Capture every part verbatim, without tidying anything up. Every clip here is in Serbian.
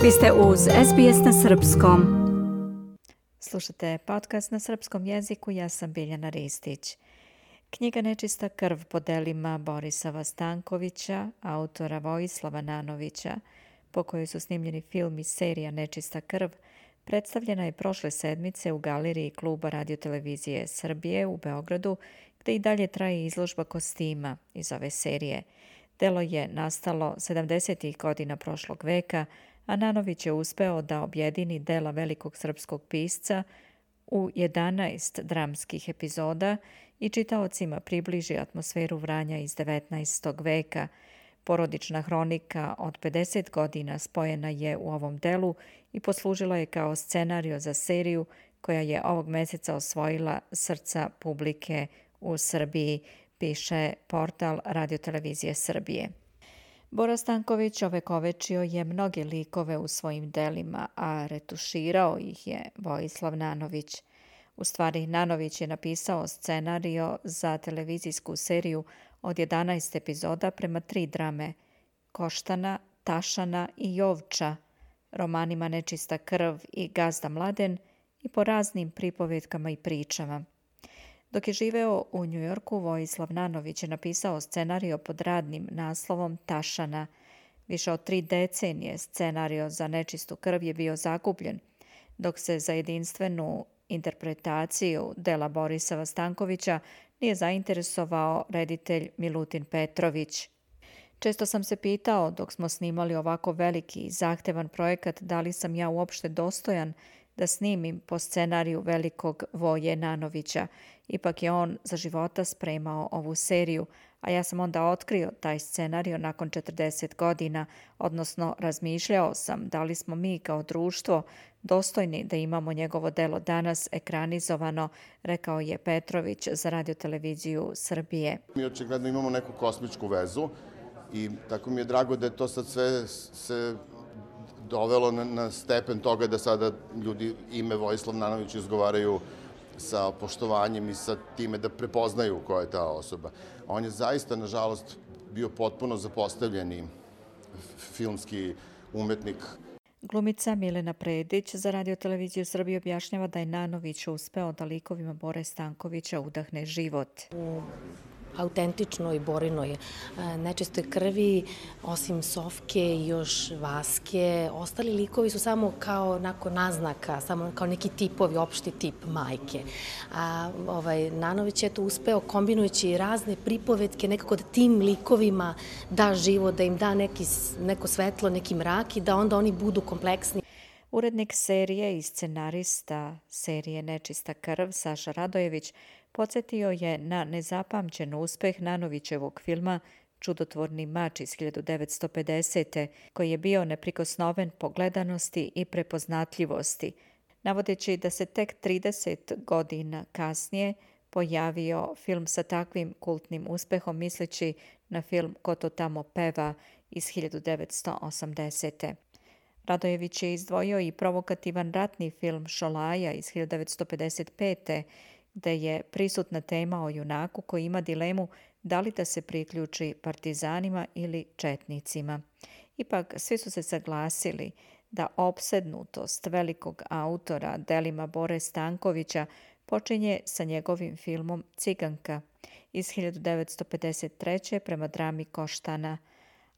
Vi ste uz S B S na srpskom. Slušate podcast na srpskom jeziku, ja sam Biljana Ristić. Knjiga Nečista krv po delima Borisava Stankovića, autora Vojislava Nanovića, po kojoj su snimljeni film i serija Nečista krv, predstavljena je prošle sedmice u galeriji Kluba radiotelevizije Srbije u Beogradu, gde i dalje traje izložba kostima iz ove serije. Delo je nastalo sedamdesetih godina prošlog veka, a Nanović je uspeo da objedini dela velikog srpskog pisca u jedanaest dramskih epizoda i čitaocima približi atmosferu Vranja iz devetnaestog veka. Porodična hronika od pedeset godina spojena je u ovom delu i poslužila je kao scenario za seriju koja je ovog meseca osvojila srca publike u Srbiji, piše portal radiotelevizije Srbije. Bora Stanković ovekovečio je mnoge likove u svojim delima, a retuširao ih je Vojislav Nanović. U stvari, Nanović je napisao scenario za televizijsku seriju od jedanaest epizoda prema tri drame – Koštana, Tašana i Jovča, romanima Nečista krv i Gazda Mladen i po raznim pripovetkama i pričama. Dok je živeo u Njujorku, Vojislav Nanović je napisao scenario pod radnim naslovom Tašana. Više od tri decenije scenario za Nečistu krv je bio zakupljen, dok se za jedinstvenu interpretaciju dela Borisava Stankovića nije zainteresovao reditelj Milutin Petrović. Često sam se pitao, dok smo snimali ovako veliki i zahtevan projekat, da li sam ja uopšte dostojan da snimim po scenariju velikog Voje Nanovića. Ipak je on za života spremao ovu seriju, a ja sam onda otkrio taj scenario nakon četrdeset godina, odnosno razmišljao sam da li smo mi kao društvo dostojni da imamo njegovo delo danas ekranizovano, rekao je Petrović za radioteleviziju Srbije. Mi očigledno imamo neku kosmičku vezu i tako mi je drago da je to sad sve se dovelo na, na stepen toga da sada ljudi ime Vojislav Nanović izgovaraju sa poštovanjem i sa time da prepoznaju ko je ta osoba. On je zaista, nažalost, bio potpuno zapostavljeni filmski umetnik. Glumica Milena Predić za radioteleviziju Srbije objašnjava da je Nanović uspeo da likovima Bore Stankovića udahne život. U autentičnoj Borinoj nečistoj krvi, osim Sofke i još Vaske, ostali likovi su samo kao nakon naznaka, samo kao neki tipovi, opšti tip majke. A ovaj, Nanović je to uspeo kombinujući razne pripovetke, nekako da tim likovima da život, da im da neki, neko svetlo, neki mrak i da onda oni budu kompleksni. Urednik serije i scenarista serije Nečista krv, Saša Radojević, podsjetio je na nezapamćen uspeh Nanovićevog filma Čudotvorni mač iz hiljadu devetsto pedesete. koji je bio neprikosnoven po gledanosti i prepoznatljivosti, navodeći da se tek trideset godina kasnije pojavio film sa takvim kultnim uspehom, misleći na film Ko to tamo peva iz hiljadu devetsto osamdesete. Radojević je izdvojio i provokativan ratni film Šolaja iz hiljadu devetsto pedeset pete. gde je prisutna tema o junaku koji ima dilemu da li da se priključi partizanima ili četnicima. Ipak svi su se saglasili da opsednutost velikog autora delima Bore Stankovića počinje sa njegovim filmom Ciganka iz hiljadu devetsto pedeset treće. prema drami Koštana,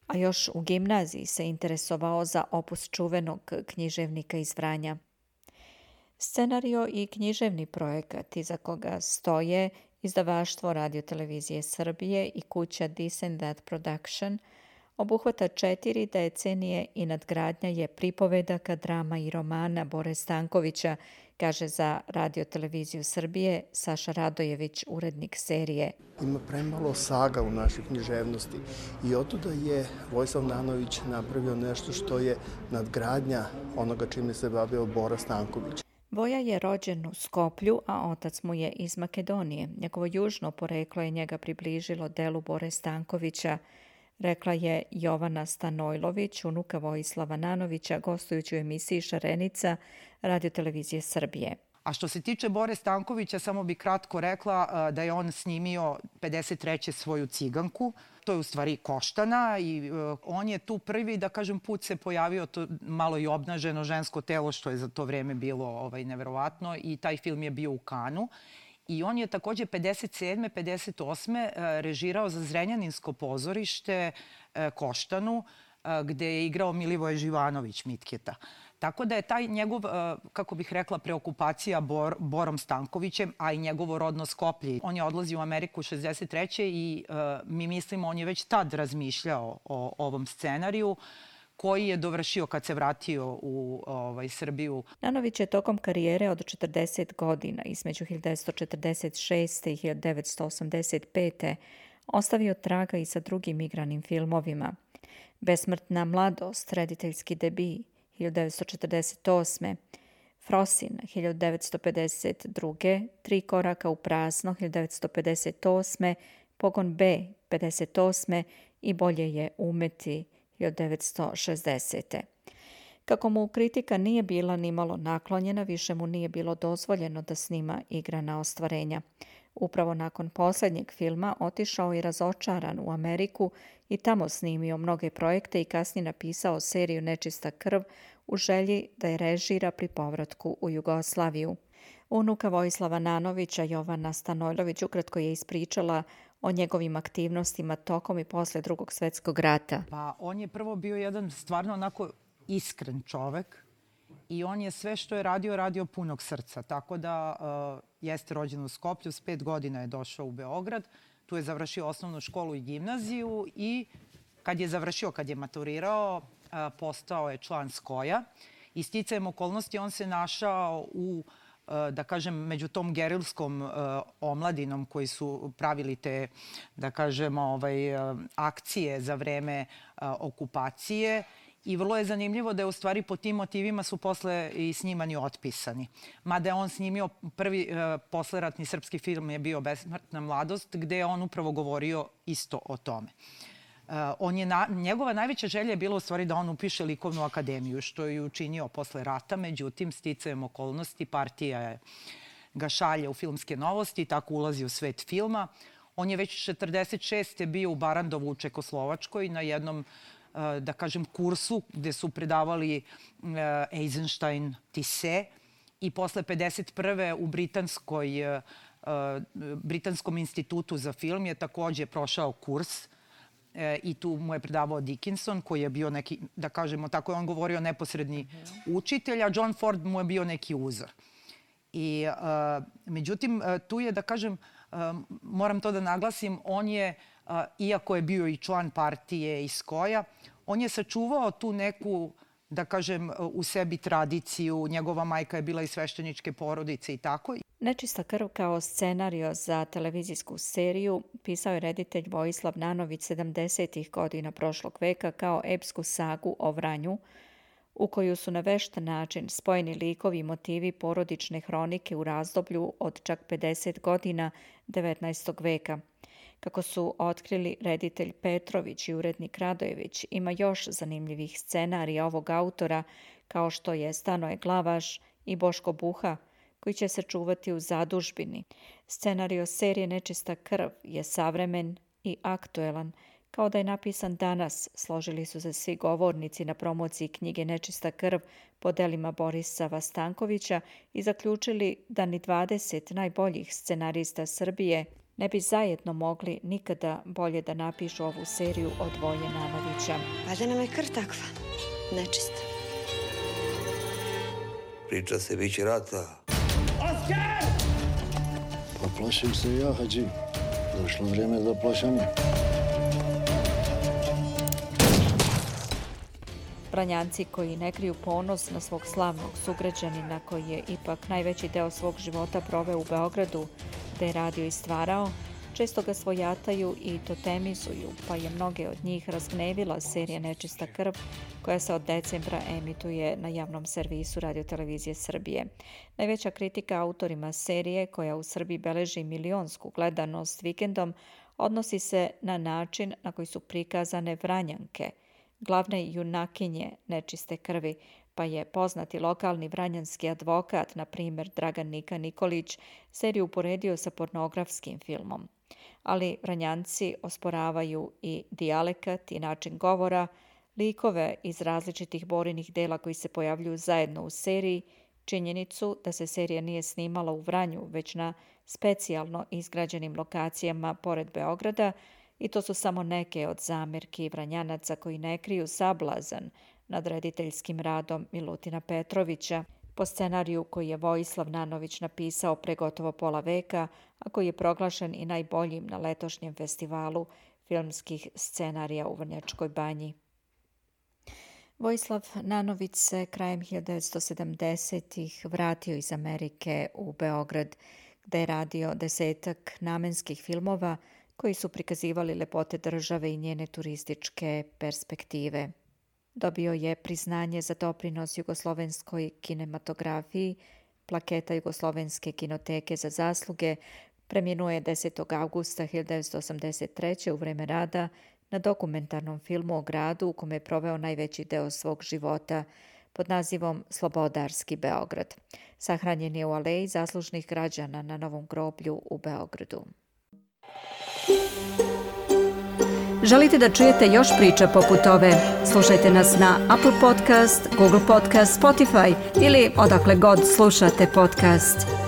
a još u gimnaziji se interesovao za opus čuvenog književnika iz Vranja. Scenario i književni projekat iza koga stoje izdavaštvo radiotelevizije Srbije i kuća This and That Production obuhvata četiri decenije i nadgradnja je pripovedaka, drama i romana Bore Stankovića, kaže za radioteleviziju Srbije Saša Radojević, urednik serije. Ima premalo saga u našoj književnosti i otuda je Vojislav Nanović napravio nešto što je nadgradnja onoga čime se bavio Bora Stanković. Voja je rođen u Skoplju, a otac mu je iz Makedonije. Njegovo južno poreklo je njega približilo delu Bore Stankovića, rekla je Jovana Stanojlović, unuka Vojislava Nanovića, gostujući u emisiji Šarenica radiotelevizije Srbije. A što se tiče Bore Stankovića, samo bi kratko rekla da je on snimio pedeset treće svoju Ciganku. To je u stvari Koštana i on je tu prvi, da kažem, put se pojavio to malo i obnaženo žensko telo, što je za to vreme bilo ovaj, neverovatno, i taj film je bio u Kanu. I on je takođe pedeset sedme pedeset osme režirao za Zrenjaninsko pozorište Koštanu, gde je igrao Milivoje Živanović Mitketa. Tako da je taj njegov, kako bih rekla, preokupacija Bor, Borom Stankovićem, a i njegovo rodno Skoplje. On je odlazio u Ameriku šezdeset treće i uh, mi mislimo on je već tad razmišljao o ovom scenariju koji je dovršio kad se vratio u ovaj, Srbiju. Nanović je tokom karijere od četrdeset godina, između hiljadu devetsto četrdeset šeste i hiljadu devetsto osamdeset pete ostavio traga i sa drugim igranim filmovima. Besmrtna mladost, rediteljski debi, hiljadu devetsto četrdeset osme, Frosin, hiljadu devetsto pedeset druge, Tri koraka u prazno, hiljadu devetsto pedeset osme, Pogon B, pedeset osme i Bolje je umeti, hiljadu devetsto šezdesete. Kako mu kritika nije bila nimalo naklonjena, više mu nije bilo dozvoljeno da snima igrana ostvarenja. Upravo nakon posljednjeg filma otišao i razočaran u Ameriku i tamo snimio mnoge projekte i kasnije napisao seriju Nečista krv u želji da je režira pri povratku u Jugoslaviju. Unuka Vojislava Nanovića, Jovana Stanojlović, ukratko je ispričala o njegovim aktivnostima tokom i posle Drugog svjetskog rata. Pa on je prvo bio jedan stvarno onako iskren čovek i on je sve što je radio, radio punog srca. Tako da uh, jeste rođen u Skoplju, s pet godina je došao u Beograd, tu je završio osnovnu školu i gimnaziju i kad je završio, kad je maturirao, uh, postao je član Skoja i sticajem okolnosti on se našao u da kažem, među tom gerilskom uh, omladinom koji su pravili te, da kažem, ovaj, uh, akcije za vreme uh, okupacije. I vrlo je zanimljivo da je u stvari po tim motivima su posle i snimani otpisani. Mada je on snimio prvi uh, posleratni srpski film je bio Besmrtna mladost, gde je on upravo govorio isto o tome. Uh, on je na, njegova najveća želja je bila u stvari da on upiše likovnu akademiju, što je učinio posle rata, međutim, sticajem okolnosti, partija ga šalje u filmske novosti i tako ulazi u svet filma. On je već četrdeset šeste bio u Barandovu u Čekoslovačkoj na jednom, uh, da kažem, kursu gde su predavali uh, Eisenstein Tisse i posle pedeset prve u Britanskoj, uh, Britanskom institutu za film je takođe prošao kurs i tu mu je predavao Dickinson, koji je bio neki, da kažemo, tako je on govorio, neposredni učitelj, a John Ford mu je bio neki uzor. I uh, međutim, tu je, da kažem, uh, moram to da naglasim, on je, uh, iako je bio i član partije i Skoja, on je sačuvao tu neku, da kažem, u sebi tradiciju. Njegova majka je bila iz svešteničke porodice i tako. Nečista krv kao scenario za televizijsku seriju pisao je reditelj Vojislav Nanović sedamdesetih godina prošlog veka kao epsku sagu o Vranju, u koju su na vešt način spojeni likovi i motivi porodične hronike u razdoblju od čak pedeset godina devetnaestog veka. Kako su otkrili reditelj Petrović i urednik Radojević, ima još zanimljivih scenarija ovog autora, kao što je Stanoje Glavaš i Boško Buha, koji će se čuvati u zadužbini. Scenario serije Nečista krv je savremen i aktuelan, kao da je napisan danas, složili su se svi govornici na promociji knjige Nečista krv po delima Borisa Stankovića i zaključili da ni dvadeset najboljih scenarista Srbije ne bi zajedno mogli nikada bolje da napišu ovu seriju od Voje Nanovića. Valjda nam je krv takva, nečista. Priča se, bit će rata. Oskar! Pa plašim se ja, Hadži. Došlo vrijeme za plašanje. Vranjanci koji ne kriju ponos na svog slavnog sugrađanina koji je ipak najveći deo svog života proveo u Beogradu, gde je radio i stvarao, često ga svojataju i totemizuju, pa je mnoge od njih razgnevila serija Nečista krv, koja se od decembra emituje na javnom servisu Radio-televizije Srbije. Najveća kritika autorima serije, koja u Srbiji beleži milionsku gledanost vikendom, odnosi se na način na koji su prikazane Vranjanke, glavne junakinje Nečiste krvi, pa je poznati lokalni vranjanski advokat, na primjer Dragan Nika Nikolić, seriju uporedio sa pornografskim filmom. Ali Vranjanci osporavaju i dijalekat i način govora, likove iz različitih Borinih dela koji se pojavljuju zajedno u seriji, činjenicu da se serija nije snimala u Vranju, već na specijalno izgrađenim lokacijama pored Beograda, i to su samo neke od zamerki Vranjanaca koji ne kriju sablazan nad rediteljskim radom Milutina Petrovića, po scenariju koji je Vojislav Nanović napisao pre gotovo pola veka, a koji je proglašen i najboljim na letošnjem festivalu filmskih scenarija u Vrnjačkoj Banji. Vojislav Nanović se krajem hiljadu devetsto sedamdesetih vratio iz Amerike u Beograd, gde je radio desetak namenskih filmova koji su prikazivali lepote države i njene turističke perspektive. Dobio je priznanje za doprinos jugoslovenskoj kinematografiji, plaketa Jugoslovenske kinoteke za zasluge, preminuo je desetog avgusta hiljadu devetsto osamdeset treće u vreme rada na dokumentarnom filmu o gradu u kome je proveo najveći deo svog života pod nazivom Slobodarski Beograd. Sahranjen je u Aleji zaslužnih građana na Novom groblju u Beogradu. Želite da čujete još priča poput ove? Slušajte nas na Apple Podcast, Google Podcast, Spotify ili odakle god slušate podcast.